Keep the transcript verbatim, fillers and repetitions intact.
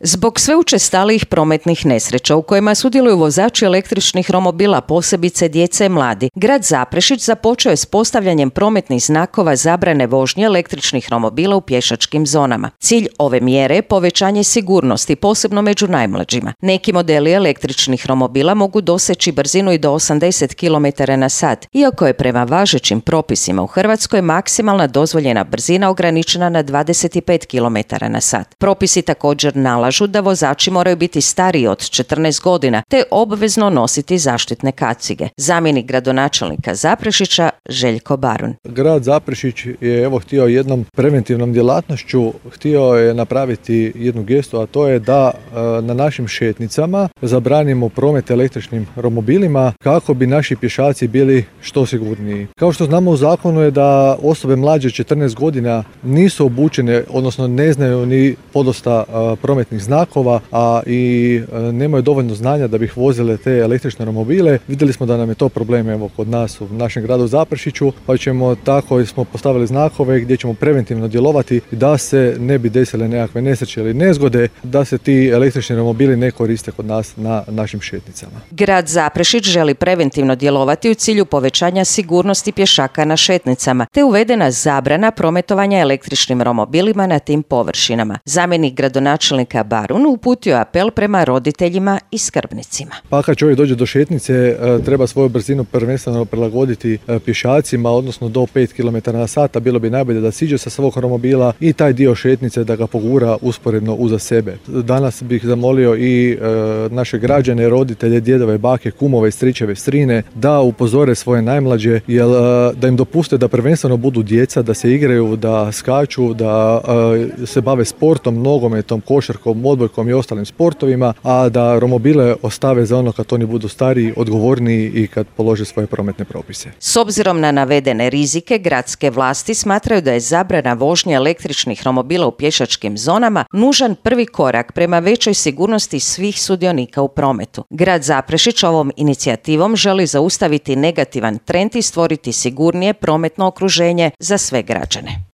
Zbog sve učestalijih prometnih nesreća u kojima sudjeluju vozači električnih romobila, posebice djece i mladi, grad Zaprešić započeo je s postavljanjem prometnih znakova zabrane vožnje električnih romobila u pješačkim zonama. Cilj ove mjere je povećanje sigurnosti, posebno među najmlađima. Neki modeli električnih romobila mogu doseći brzinu i do osamdeset kilometara na sat, iako je prema važećim propisima u Hrvatskoj maksimalna dozvoljena brzina ograničena na dvadeset pet kilometara na sat. Propisi također nalažu da vozači moraju biti stariji od četrnaest godina te obvezno nositi zaštitne kacige. Zamjenik gradonačelnika Zaprešića Željko Barun. Grad Zaprešić je evo htio jednom preventivnom djelatnošću htio je napraviti jednu gestu, a to je da na našim šetnicama zabranimo promet električnim romobilima kako bi naši pješaci bili što sigurniji. Kao što znamo u zakonu je da osobe mlađe od četrnaest godina nisu obučene, odnosno ne znaju ni podosta prometnih znakova, a i nemaju dovoljno znanja da bi ih vozile te električne romobile. Vidjeli smo da nam je to problem evo kod nas u našem gradu Zaprešiću, pa ćemo tako smo postavili znakove gdje ćemo preventivno djelovati da se ne bi desile nekakve nesreće ili nezgode, da se ti električni romobili ne koriste kod nas na našim šetnicama. Grad Zaprešić želi preventivno djelovati u cilju povećanja sigurnosti pješaka na šetnicama, te uvedena zabrana prometovanja električnim romobilima na tim površinama. Zamjenik gradonačelnika Barun uputio apel prema roditeljima i skrbnicima. Pa kad čovjek dođe do šetnice, treba svoju brzinu prvenstveno prilagoditi pješacima, odnosno do pet kilometara na sat, bilo bi najbolje da siđe sa svog romobila i taj dio šetnice da ga pogura usporedno uza sebe. Danas bih zamolio i e, naše građane, roditelje, djedove, bake, kumove, stričeve, strine da upozore svoje najmlađe, jer da im dopuste da prvenstveno budu djeca, da se igraju, da skaču, da e, se bave sportom, nogometom, košarkom, odbojkom i ostalim sportovima, a da romobile ostave za ono kad oni budu stariji, odgovorniji i kad polože svoje prometne propise. S obzirom na navedene rizike, gradske vlasti smatraju da je zabrana vožnje električnih romobila u pješačkim zonama nužan prvi korak prema većoj sigurnosti svih sudionika u prometu. Grad Zaprešić ovom inicijativom želi zaustaviti negativan trend i stvoriti sigurnije prometno okruženje za sve građane.